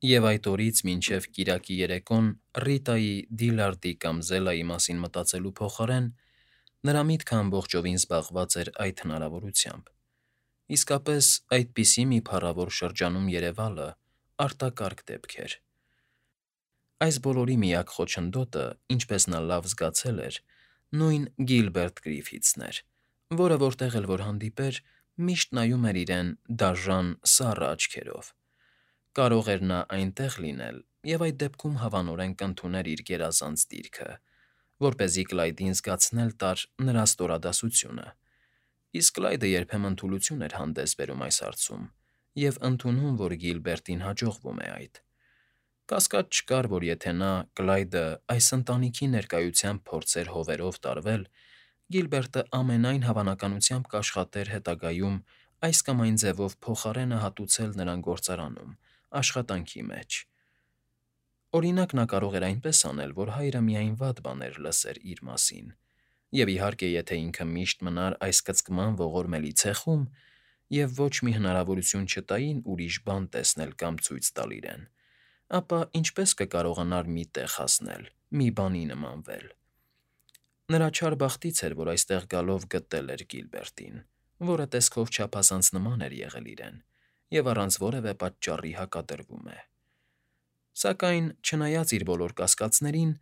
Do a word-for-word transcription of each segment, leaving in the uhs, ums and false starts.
Եվ այդ օրից մինչև կիրակի երեկոն Ռիտայի, Դիլարդի կամ Զելայի մասին մտածելու փոխարեն նրա միտքը ամբողջովին զբաղված էր այդ հնարավորությամբ. իսկապես այդպիսի մի փառավոր շրջանում երևալը արտակարգ դեպք էր։ Այս բոլորի միակ խոչընդոտը, ինչպես նա լավ զգացել էր, նույն Գիլբերտ Գրիֆիթսն էր, որը որտեղ էլ որ հանդիպեր, միշտ նայում էր իրեն դաժան, սառը աչքերով։ Կարող էր նա այնտեղ լինել և այդ դեպքում հավանորեն կընդուներ իր գերազանց դիրքը, որպեսզի Կլայդին զգացնել տար նրա ստորադասությունը, իսկ Կլայդը երբեմն թուլություն էր հանդես բերում այս հարցում և ընդունում, որ Գիլբերտին հաջողվում է այդ։ Կասկած չկար, որ եթե նա՝ Կլայդը, այս ընտանիքի ներկայությամբ փորձեր հովերով տարվել, Գիլբերտը ամենայն հավանականությամբ կաշխատեր հետագայում այս կամ այն ձևով փոխարենը հատուցել նրան գործարանում, աշխատանքի մեջ։ Օրինակ, նա կարող էր այնպես անել, որ հայրը միայն վատ բաներ լսեր իր մասին, և, իհարկե, եթե ինքը միշտ մնար այս կծկման ողորմելի ցեխում և ոչ մի հնարավորություն չտային ուրիշ բան տեսնել կամ ցույց տալ իրեն, ապա ինչպե՞ս կկարողանար մի տեղ հասնել, մի բանի նմանվել։ Նրա չար բախտից էր, որ այստեղ գալով գտել էր Գիլբերտին, որը տեսքով չափազանց նման էր եղել իրեն և առանց որևէ պատճառի հակադրվում է։ Սակայն, չնայած իր բոլոր կասկածներին,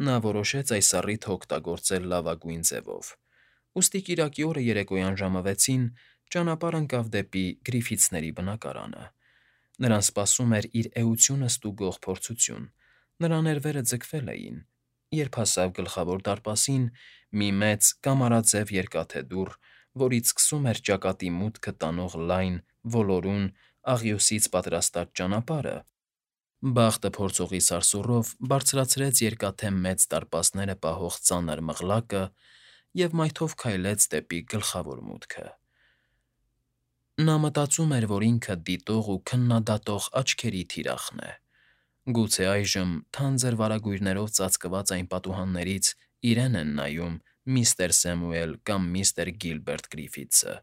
նա որոշեց այս առիթը օգտագործել լավագույն ձևով, ուստի կիրակի օրը երեկոյան ժամը վեցին ճանապարհ ընկավ դեպի Գրիֆիթսների բնակարանը։ Նրան սպասում էր իր էությունը ստուգող փորձություն, նրա ներվերը ձգվել էին, երբ հասավ Գլխավոր դարպասին մի մեծ կամարաձև երկաթե դուռ, որից սկսում էր ճակատի մուտքը տանող լայն, ոլորուն, աղյուսից պատրաստած ճանապարհը, բախտը փորձողի սարսուռով բարձրացրեց երկաթե մեծ դարպասները պահող ծանր մղլակը և մայթով քայլեց դեպի գլխավոր մուտքը։ Նա մտածում էր, որ ինքը դիտող ու քննադատող աչքերի թիրախն է։ Գուցե այժմ, թանձր վարագույրներով ծածկված այն պատուհաններից, իրեն են նայում միստր Սեմուել կամ միստր Գիլբերտ Գրիֆիթսը,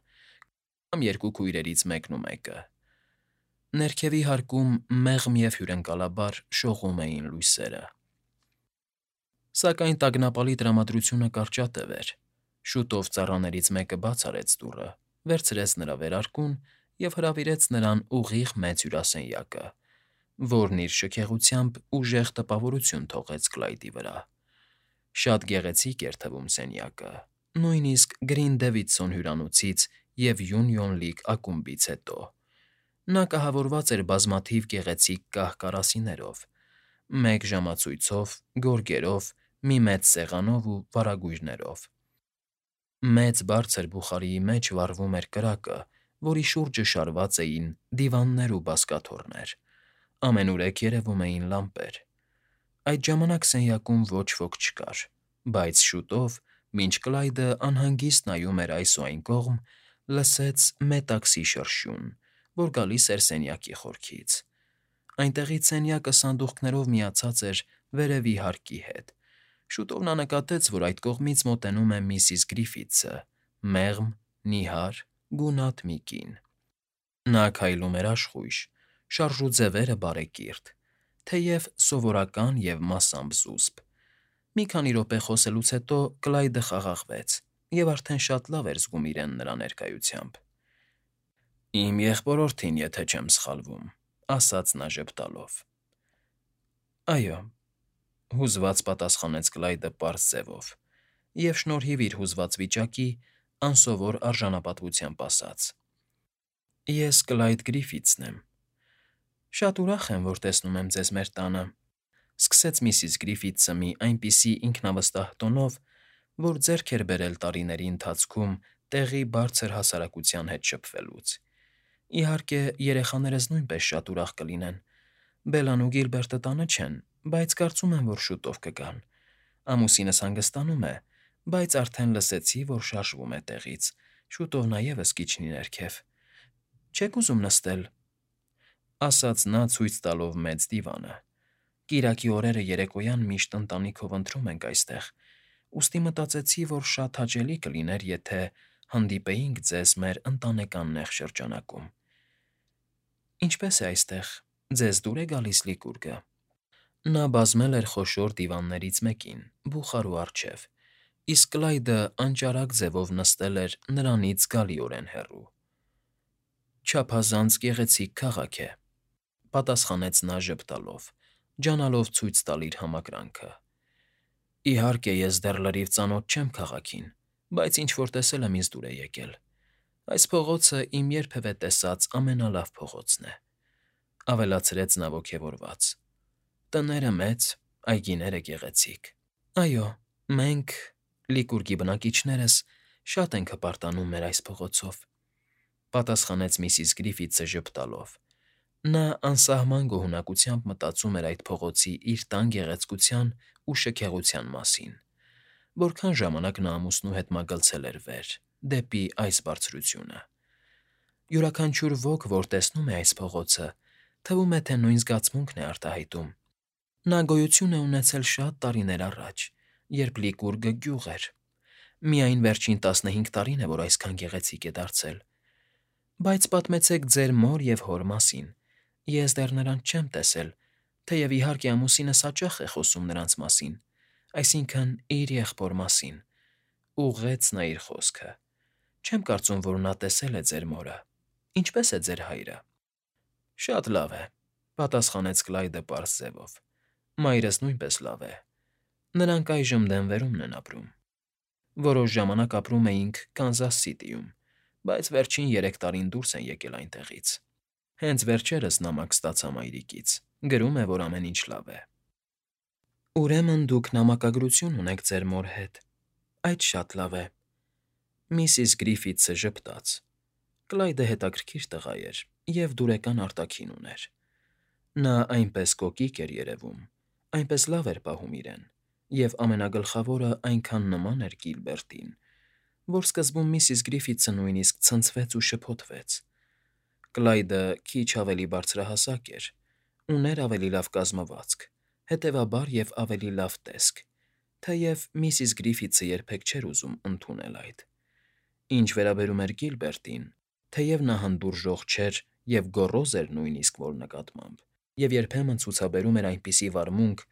կամ երկու քույրերից մեկն ու մեկը։ Ներքևի հարկում մեղմ և հյուրընկալաբար շողում էին լույսերը։ Սակայն տագնապալի տրամադրությունը կարճատև էր։ Շուտով ծառաներից մեկը բաց արեց դուռը, վերցրեց նրա վերարկուն և հրավիրեց նրան ուղիղ մեծ հյուրասենյակը, որն իր շքեղությամբ ուժեղ տպավորություն թողեց Կլայդի վրա։ Շատ գեղեցիկ էր թվում սենյակը, նույնիսկ Գրինդեվիթսոն հյուրանոցից և Յունիոն Լիգ ակումբից հետո։ Նա կահավորված էր բազմաթիվ գեղեցիկ կահ կարասիներով, մեկ ժամացույցով, գորգերով, մի մեծ սեղանով ու վարագույրներով։ Մեծ բարձր բուխարիի մեջ վառվում էր կրակը, որի շուրջը շարված էին դիվաններ ու բազկաթոռներ, ամենուրեք երևում էին լամպեր։ Այդ ժամանակ սենյակում ոչ ոք չկար, բայց շուտով, մինչ Կլայդը անհանգիստ նայում էր այս ու այն կողմ, լսեց մետաքսի շրշյուն, որ գալիս էր սենյակի խորքից։ Այնտեղից սենյակը սանդուղքներով միացած էր վերևի հարկի հետ։ Շուտով նա նկատեց, որ այդ կողմից մոտենում է միսիս Գրիֆիթսը՝ մեղմ, նիհար, գունատ մի կին։ Նա քայլում էր աշխույժ, շարժուձևերը բարեկիրթ, թեև սովորական և մասամբ զուսպ։ Մի քանի րոպե խոսելուց հետո Կլայդը խաղաղվեց և արդեն շատ լավ էր զգում իրեն նրա ներկայությամբ։ «Իմ եղբորորդին, եթե չեմ սխալվում,֊ ասաց նա ժպտալով։ ֊ Այո,֊ հուզված պատասխանեց Կլայդը պարզ ձևով և, շնորհիվ իր հուզված վիճակի, անսովոր արժանապատվությամբ ասաց. Ես Կլայդ Գրիֆիթսն եմ։ Շատ ուրախ եմ, որ տեսնում եմ ձեզ մեր տանը,֊ սկսեց միսիս Գրիֆիթսը մի այնպիսի ինքնավստահ տոնով, որ ձեռք էր բերել տարիների ընթացքում տեղի բարձր հասարակության հետ շփվելուց։ Իհարկե, երեխաներս նույնպես շատ ուրախ կլինեն։ Բելլան ու Գիլբերտը տանը չեն, բայց կարծում եմ, որ շուտով կգան։ Ամուսինս հանգստանում է, բայց արդեն լսեցի, որ շարժվում է տեղից, շուտով նա ևս կիջնի ներքև։ Չե՞ք ուզում նստել,֊ ասաց նա՝ ցույց տալով մեծ դիվանը։ Կիրակի օրերը երեկոյան միշտ ընտանիքով ընթրում ենք այստեղ, ուստի մտածեցի, որ շատ հաճելի կլիներ, եթե հանդիպեինք ձեզ մեր ընտանեկան նեղ շրջանակում։ Ինչպե՞ս է այստեղ, Ձեզ դուր է գալիս Լիկուրգը։ Նա բազմել էր խոշոր դիվաններից մեկին, բուխարու առջև, իսկ Կլայդը անճարակ ձևով նստել էր նրանից զգալիորեն հեռու։ «Չափազանց գեղեցիկ քաղաք է,֊ պատասխանեց նա ժպտալով, ջանալով ցույց տալ իր համակրանքը։ «Իհարկե, ես դեռ լրիվ ծանոթ չեմ քաղաքին, բայց ինչ֊որ տեսել եմ ինձ դուր է եկել։ Այս փողոցը իմ երբևէ տեսած ամենալավ փողոցն է,֊ ավելացրեց նա ոգևորված։ Տները մեծ, այգիները գեղեցիկ։ Այո, մենք՝ Լիկուրգի բնակիչներս, շատ ենք հպարտանում մեր այս փողոցով,֊ պատասխանեց միսիս Գրիֆիթսը ժպտալով։ Նա անսահման գոհունակությամբ մտածում էր այդ փողոցի իր տան գեղեցկության ու շքեղության մասին։ Որքան ժամանակ նա ամուսնու հետ մագլցել էր վեր, դեպի այս բարձրությունը։ Յուրաքանչյուր ոք, որ տեսնում է այս փողոցը, թվում է, թե նույն զգացմունքն է արտահայտում։ Նա գոյություն է ունեցել շատ տարիներ առաջ, երբ Լիկուրգը գյուղ էր։ Միայն վերջին տասնհինգ տարին է, որ այսքան գեղեցիկ է դարձել։ Բայց պատմեցեք ձեր մոր և հոր մասին։ Ես դեռ նրանց չեմ տեսել, թեև իհարկե ամուսինս հաճախ է խոսում նրանց մասին, այսինքն՝ իր եղբոր մասին,֊ ուղղեց նա իր խոսքը։ Չեմ կարծում, որ նա տեսել է ձեր մորը։ Ինչպե՞ս է ձեր հայրը։ Շատ լավ է,֊ պատասխանեց Կլայդը պարզ ձևով։ Մայրս նույնպես լավ է։ Նրանք այժմ Դենվերումն են ապրում։ Որոշ ժամանակ ապրում էինք Կանզաս Սիթիում, բայց վերջին երեք տարին դուրս են եկել այնտեղից։ Հենց վերջերս նամակ ստացա մայրիկից, գրում է, որ ամեն ինչ լավ է։ Ուրեմն դուք նամակագրություն ունեք ձեր մոր հետ։ Այդ շատ լավ է։ Միսիս Գրիֆիթսը ժպտաց։ Կլայդը հետաքրքիր տղա էր և դուրեկան արտաքին ուներ։ Նա այնպես կոկիկ էր երևում, այնպես լավ էր պահում իրեն, և ամենագլխավորը այնքան նման էր Կիլբերտին, որ սկզբում միսիս Գրիֆիթսը նույնիսկ ցնցվեց ու շփոթվեց։ Կլայդը քիչ ավելի բարձրահասակ էր, ուներ ավելի լավ կազմվածք, հետևաբար և ավելի լավ տեսք, թեև միսիս Գրիֆիթսը երբեք չէր ուզում ընդունել այդ։ Ինչ վերաբերում էր Կիլբերտին, թեև նա հանդուրժող չէր և գոռոզ էր նույնիսկ որ նկատմամբ, և երբեմն ցուցաբերում էր այնպիսի վարմունք,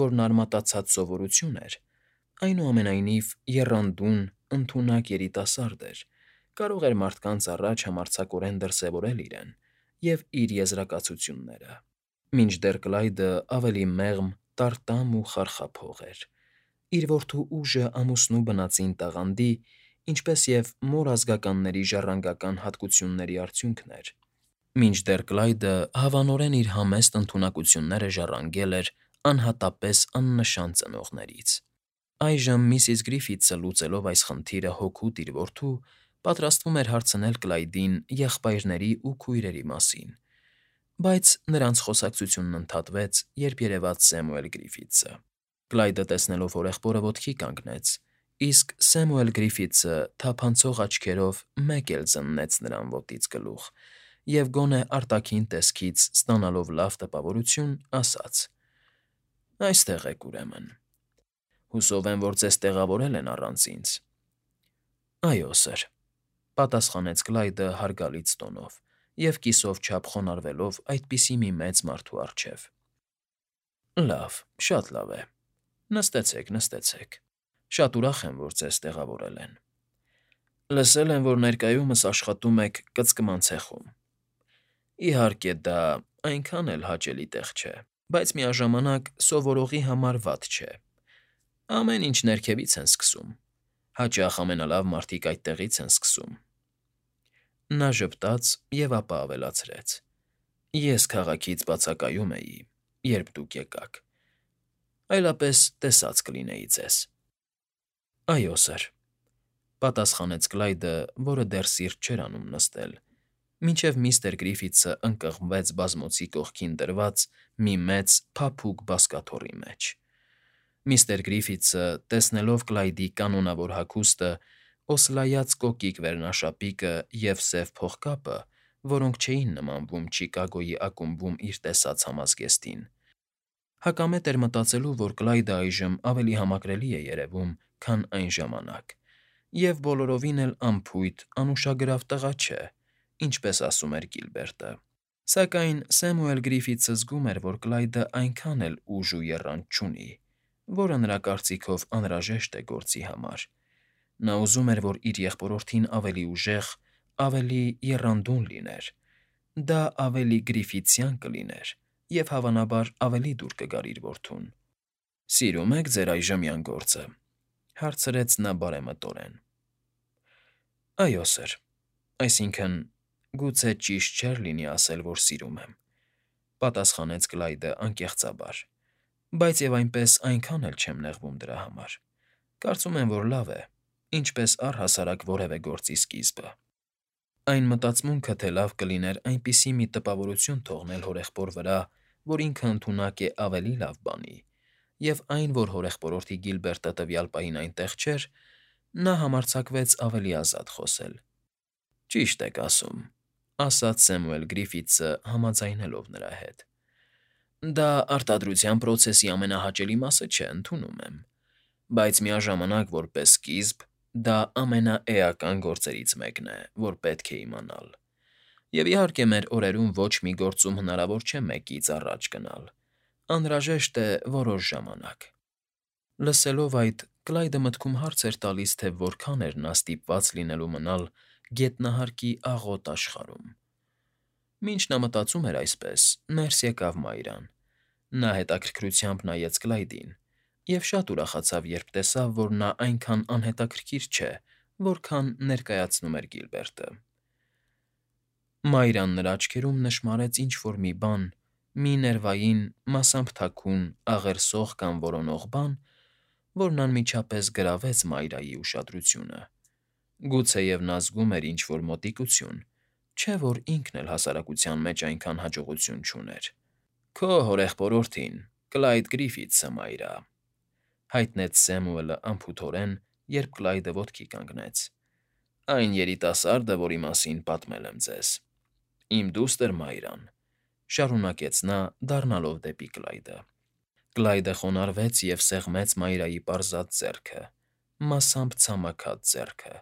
որն արմատացած սովորություն էր, այնուամենայնիվ եռանդուն, ընդունակ երիտասարդ էր, կարող էր մարդկանց առաջ համարձակորեն դրսևորել իրեն և իր եզրակացությունները, մինչդեռ Կլայդը ավելի մեղմ, տարտամ ու խարխափող էր, իր որդու ուժը ամուսնու բնածին տաղանդի, ինչպես և մոր ազգականների ժառանգական հատկությունների արդյունքն էր, մինչդեռ Կլայդը հավանորեն իր համեստ ընդունակությունները ժառանգել էր անհատապես աննշան ծնողներից։ Այժմ միսիս Գրիֆիթսը լուծելով այս խնդիրը հօգուտ իր որդու, պատրաստվում էր հարցնել Կլայդին եղբայրների ու քույրերի մասին, բայց նրանց խոսակցությունն ընդհատվեց, երբ երևաց Սեմուել Գրիֆիթսը։ Կլայդը տեսնելով հորեղբորը ոտքի կանգնեց, իսկ Սեմուել Գրիֆիթսը թափանցող աչքերով մեկ էլ զննեց նրան ոտից գլուխ և գոնե արտաքին տեսքից ստանալով լավ տպավորություն, ասաց. Այստեղ եք, ուրեմն։ Հուսով եմ, որ ձեզ տեղավորել են առանց ինձ։ Այո, սըր,֊ պատասխանեց Կլայդը հարգալից տոնով և կիսով չափ խոնարհվելով այդպիսի մի մեծ մարդու առջև։ Լավ, շատ լավ է։ Նստեցեք, նստեցեք։ Շատ ուրախ եմ, որ ձեզ տեղավորել են։ Լսել եմ, որ ներկայումս աշխատում եք կծկման ցեխում։ Իհարկե, դա այնքան էլ հաճելի տեղ չէ, բայց միաժամանակ սովորողի համար վատ չէ։ Ամեն ինչ ներքևից են սկսում։ Հաճախ ամենալավ մարդիկ այդտեղից են սկսում։ Նա ժպտաց և ապա ավելացրեց. Ես քաղաքից բացակայում էի, երբ դուք եկաք, այլապես տեսած կլինեի ձեզ։ Այո, սըր,֊ պատասխանեց Կլայդը, որը դեռ սիրտ չէր անում նստել, մինչև միստր Գրիֆիթսը ընկղմվեց բազմոցի կողքին դրված մի մեծ, փափուկ բազկաթոռի մեջ։ Միստր Գրիֆիթսը, տեսնելով Կլայդի կանոնավոր հագուստը, օսլայած կոկիկ վերնաշապիկը և սև փողկապը, որոնք չէին նմանվում Չիկագոյի ակումբում իր տեսած համազգեստին, հակամետ էր մտածելու, որ Կլայդը այժմ ավելի համակրելի է երևում, քան այն ժամանակ, և բոլորովին էլ անփույթ, անուշագրավ տղա չէ, ինչպես ասում էր Կիլբերտը։ Սակայն Սեմուել Գրիֆիթսը զգում էր, որ Կլայդը այնքան էլ ուժ ու եռանդ չունի, որը նրա կարծիքով անհրաժեշտ է գործի համար։ Նա ուզում էր, որ իր եղբորորդին ավելի ուժեղ, ավելի եռանդուն լիներ։ Դա ավելի գրիֆիթսյան կլիներ և, հավանաբար, ավելի դուր կգար իր որդուն։ «Սիրո՞ւմ եք ձեր այժմյան գործը,֊ հարցրեց նա բարեմտորեն։ «Այո, սըր, այսինքն՝ գուցե ճիշտ չէր լինի ասել, որ սիրում եմ,֊ պատասխանեց Կլայդը անկեղծաբար,֊ բայց և այնպես այնքան էլ չեմ նեղվում դրա համար։ Կարծում եմ, որ լավ է, ինչպես առհասարակ որևէ գործի սկիզբը»։ Այն մտածմունքը, թե լավ կլիներ այնպիսի մի տպավորություն թողնել հորեղբոր վրա, որ ինքը ընդունակ է ավելի լավ բանի, և այն, որ հորեղբորորդի Գիլբերտը տվյալ պահին այնտեղ չէր, նա համարձակվեց ավելի ազատ խոսել։ «Ճիշտ եք ասում,֊ ասաց Սեմուել Գրիֆիթսը համաձայնելով նրա հետ։֊ Դա արտադրության պրոցեսի ամենահաճելի մասը չէ, ընդունում եմ, բայց միաժամանակ, որպես սկիզբ, դա ամենաէական գործերից մեկն է, որ պետք է իմանալ։ Եվ, իհարկե, մեր օրերում ոչ մի գործում հնարավոր չէ մեկից առաջ գնալ, անհրաժեշտ է որոշ ժամանակ»։ Լսելով այդ, Կլայդը մտքում հարց էր տալիս, թե որքան էր նա ստիպված լինելու մնալ գետնահարկի աղոտ աշխարհում։ Մինչ նա մտածում էր այսպես, ներս եկավ Մայրան։ Նա հետաքրքրությամբ նայեց Կլայդին և շատ ուրախացավ, երբ տեսավ, որ նա այնքան անհետաքրքիր չէ, որքան ներկայացնում էր Գիլբերտը։ Մայրան նրա աչքերում նշմարեց ինչ֊որ մի բան, մի ներվային, մասամբ թաքուն, աղերսող կամ որոնող բան, որն անմիջապես գրավեց Մայրայի ուշադրությունը։ Գուցեև նա զգում էր ինչ֊որ մոտիկություն, չէ՞ որ ինքն էլ հասարակության մեջ այնքան հաջողություն չուներ։ «Քո հորեղբորորդին՝ Կլայդ Գրիֆիթսը, Մայրա,֊ հայտնեց Սեմուելը անփութորեն, երբ Կլայդը ոտքի կանգնեց։֊ Այն երիտասարդը, որի մասին պատմել եմ ձեզ։ Իմ դուստր Մայրան,֊ շարունակեց նա՝ դառնալով դեպի Կլայդը։ Կլայդը խոնարհվեց և սեղմեց Մայրայի պարզած ձեռքը, մասամբ ցամաքած ձեռքը։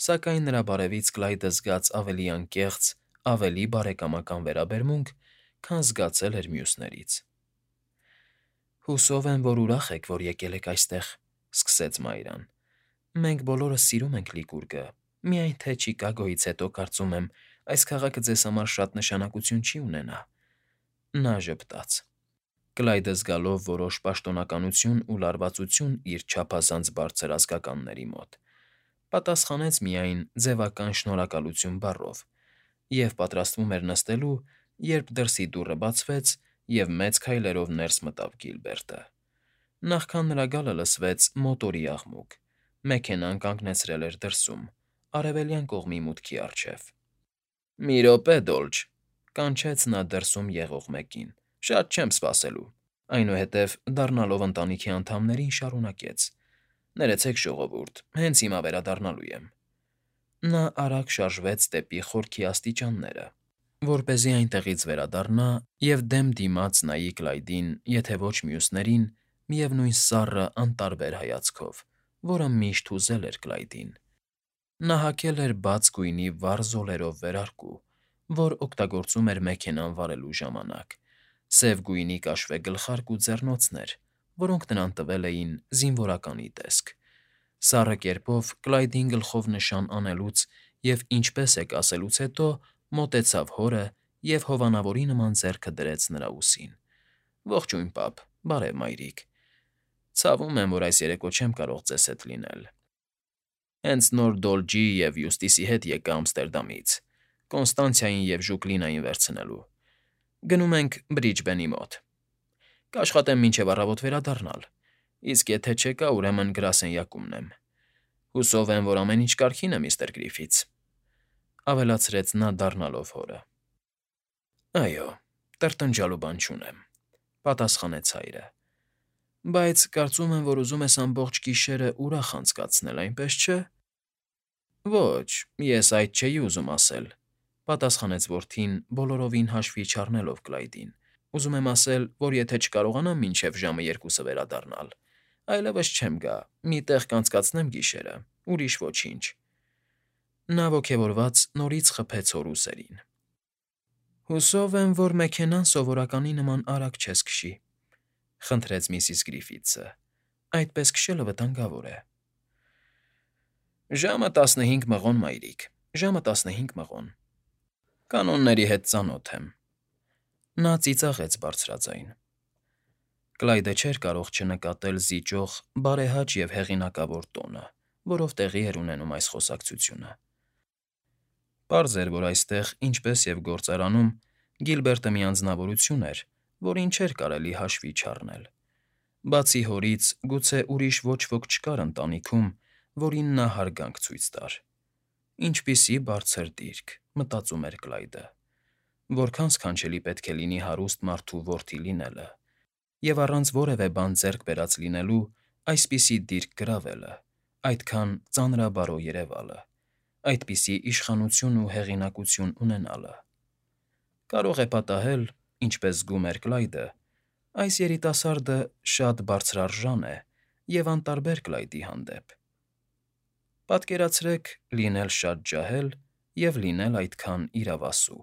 Սակայն նրա բարևից Կլայդը զգաց ավելի անկեղծ, ավելի բարեկամական վերաբերմունք, քան զգացել էր մյուսներից։ «Հուսով եմ, որ ուրախ եք, որ եկել եք այստեղ,֊ սկսեց Մայրան։ Մենք բոլորս սիրում ենք Լիկուրգը, միայն թե Չիկագոյից հետո, կարծում եմ, այս քաղաքը ձեզ համար շատ նշանակություն չի ունենա»։ Նա ժպտաց։ Կլայդը, զգալով որոշ պաշտոնականություն ու լարվածություն իր չափազանց բարձր ազգականների մոտ, պատասխանեց միայն ձևական շնորհակալություն բառով և պատրաստվում էր նստելու, երբ դրսի դուռը բացվեց, և մեծ քայլերով ներս մտավ Գիլբերտը։ Նախքան նրա գալը լսվեց մոտորի աղմուկ։ Մեքենան կանգնեցրել էր դրսում, արևելյան կողմի մուտքի առջև։ «Մի րոպե, Դոլչ,֊ կանչեց նա դրսում եղող մեկին,֊ շատ չեմ սպասելու»։ Այնուհետև, դառնալով ընտանիքի անդամներին, շարունակեց. «Ներեցեք, ժողովուրդ, հենց հիմա վերադառնալու եմ»։ Նա արագ շարժվեց դեպի խորքի աստիճանները, որպեսզի այնտեղից վերադառնա և դեմ դիմաց նայի Կլայդին, եթե ոչ մյուսներին, միևնույն սառը, անտարբեր հայացքով, որը միշտ հուզել էր Կլայդին։ Նա հագել էր բաց գույնի վառ զոլերով վերարկու, որ օգտագործում էր մեքենան վարելու ժամանակ, սև գույնի կաշվե գլխարկ ու ձեռնոցներ, որոնք նրան տվել էին զինվորականի տեսք։ Սառը կերպով Կլայդին գլխով նշան անելուց և «ինչպե՞ս եք» ասելուց հետո մոտեցավ հորը և հովանավորի նման ձեռքը դրեց նրա ուսին։ «Ողջույն, պապ, բարև, մայրիկ։ Ցավում եմ, որ այս երեկո չեմ կարող ձեզ հետ լինել։ Հենց նոր Դոլժի և Յուստիսի հետ եկա Ամստերդամից՝ Կոնստանցիային և Ժուկլինային վերցնելու։ Գնում ենք Բրիջբենի մոտ։ Կաշխատեմ մինչև առավոտ վերադառնալ, իսկ եթե չեկա, ուրեմն գրասենյակումն եմ։ Հուսով եմ, որ ամեն ինչ կարգին է, միստր Գրիֆիթս,֊ ավելացրեց նա՝ դառնալով հորը։ «Այո, տրտնջալու բան չունեմ,֊ պատասխանեց հայրը,֊ բայց կարծում եմ, որ ուզում ես ամբողջ գիշերը ուրախ անցկացնել, այնպես չէ՞։ «Ոչ, ես այդ չէի ուզում ասել,֊ պատասխանեց որդին, բոլորովին հաշվի չառնելով Կլայդին։֊ Ուզում եմ ասել, որ եթե չկարողանամ մինչև ժամը երկուսը վերադառնալ, այլևս չեմ գա, մի տեղ կանցկացնեմ գիշերը, ուրիշ ոչինչ»։ Նա ոգևորված նորից խփեց հոր ուսերին։ Հուսով եմ, որ մեքենան սովորականի նման արագ չես քշի, խնդրեց միսիս Գրիֆիթսը։ Այդպես քշելը վտանգավոր է։ Ժամը տասնհինգ մղոն, մայրիկ, ժամը տասնհինգ մղոն։ Կանոնների հետ ծանոթ եմ։ Նա ծիծաղեց բարձրաձայն։ Կլայդը չէր կարող չնկատել զիջող, բարեհաճ և հեղինակավոր տոնը, որով տեղի էր ունենում այս խոսակցությունը։ Պարզ էր, որ այստեղ, ինչպես և գործարանում, Գիլբերտը մի անձնավորություն էր, որին չէր կարելի հաշվի չառնել։ Բացի հորից, գուցե ուրիշ ոչ ոք չկար ընտանիքում, որին նա հարգանք ցույց տար։ Ինչպիսի՜ բարձր դիրք, մտածում էր Կլայդը, որքան սքանչելի պետք է լինի հարուստ մարդու որդի լինելը, և առանց որևէ բան ձեռք բերած լինելու այսպիսի դիրք գրավելը, այդքան ծանրաբարո երևալը, այդպիսի իշխանություն ու հեղինակություն ունենալը։ Կարող է պատահել, ինչպես զգում էր Կլայդը, այս երիտասարդը շատ բարձրարժան է և անտարբեր Կլայդի հանդեպ։ Պատկերացրեք լինել շատ ջահել և լինել այդքան իրավասու։